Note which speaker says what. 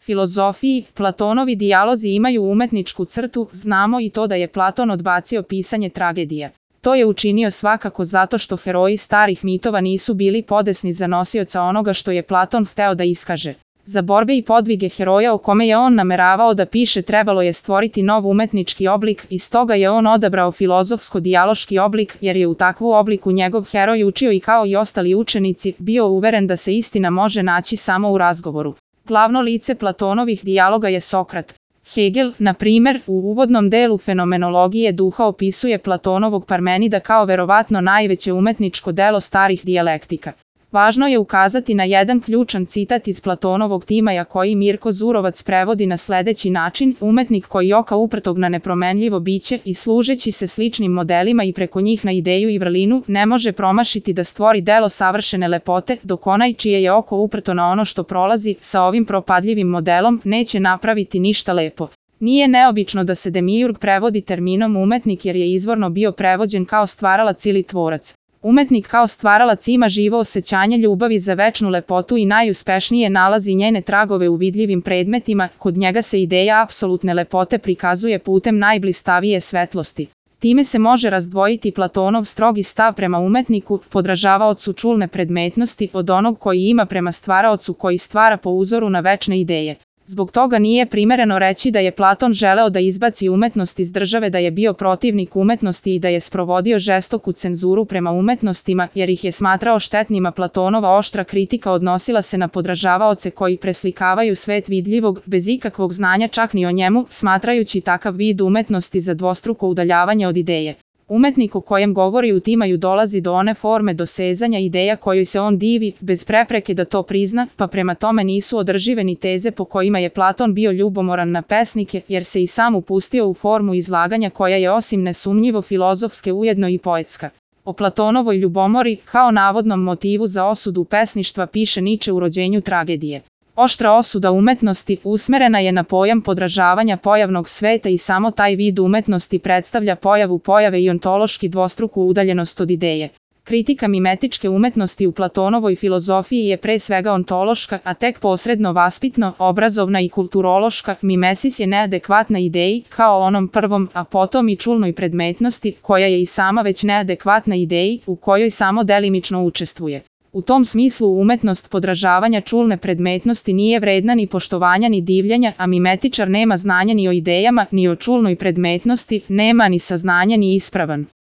Speaker 1: filozofiji, Platonovi dijalozi imaju umetničku crtu, znamo i to da je Platon odbacio pisanje tragedija. To je učinio svakako zato što heroji starih mitova nisu bili podesni za nosioca onoga što je Platon hteo da iskaže. Za borbe i podvige heroja o kome je on nameravao da piše trebalo je stvoriti nov umetnički oblik i stoga je on odabrao filozofsko-dijaloški oblik jer je u takvu obliku njegov heroj učio i kao i ostali učenici bio uveren da se istina može naći samo u razgovoru. Glavno lice Platonovih dijaloga je Sokrat. Hegel, na primer, u uvodnom delu fenomenologije duha opisuje Platonovog Parmenida kao verovatno najveće umetničko delo starih dijalektika. Važno je ukazati na jedan ključan citat iz Platonovog Timaja koji Mirko Zurovac prevodi na sledeći način: umetnik koji oka uprtog na nepromenljivo biće i služeći se sličnim modelima i preko njih na ideju i vrlinu ne može promašiti da stvori delo savršene lepote, dok onaj čije je oko uprto na ono što prolazi sa ovim propadljivim modelom neće napraviti ništa lepo. Nije neobično da se Demiurg prevodi terminom umetnik jer je izvorno bio prevođen kao stvaralac ili tvorac. Umetnik kao stvaralac ima živo osjećanje ljubavi za večnu lepotu i najuspešnije nalazi njene tragove u vidljivim predmetima, kod njega se ideja apsolutne lepote prikazuje putem najblistavije svetlosti. Time se može razdvojiti Platonov strogi stav prema umetniku, podražavaocu čulne predmetnosti, od onog koji ima prema stvaraocu koji stvara po uzoru na večne ideje. Zbog toga nije primereno reći da je Platon želeo da izbaci umetnost iz države, da je bio protivnik umetnosti i da je sprovodio žestoku cenzuru prema umetnostima, jer ih je smatrao štetnima. Platonova oštra kritika odnosila se na podražavaoce koji preslikavaju svet vidljivog, bez ikakvog znanja čak ni o njemu, smatrajući takav vid umetnosti za dvostruko udaljavanje od ideje. Umetnik o kojem govori u Timaju dolazi do one forme dosezanja ideja kojoj se on divi, bez prepreke da to prizna, pa prema tome nisu održive ni teze po kojima je Platon bio ljubomoran na pesnike, jer se i sam upustio u formu izlaganja koja je osim nesumnjivo filozofske ujedno i poetska. O Platonovoj ljubomori, kao navodnom motivu za osudu pesništva, piše Niče u Rođenju tragedije. Oštra osuda umetnosti usmerena je na pojam podražavanja pojavnog sveta i samo taj vid umetnosti predstavlja pojavu pojave i ontološki dvostruku udaljenost od ideje. Kritika mimetičke umetnosti u Platonovoj filozofiji je pre svega ontološka, a tek posredno vaspitno, obrazovna i kulturološka. Mimesis je neadekvatna ideji, kao onom prvom, a potom i čulnoj predmetnosti, koja je i sama već neadekvatna ideji, u kojoj samo delimično učestvuje. U tom smislu umetnost podražavanja čulne predmetnosti nije vredna ni poštovanja ni divljenja, a mimetičar nema znanja ni o idejama, ni o čulnoj predmetnosti, nema ni saznanja ni ispravan.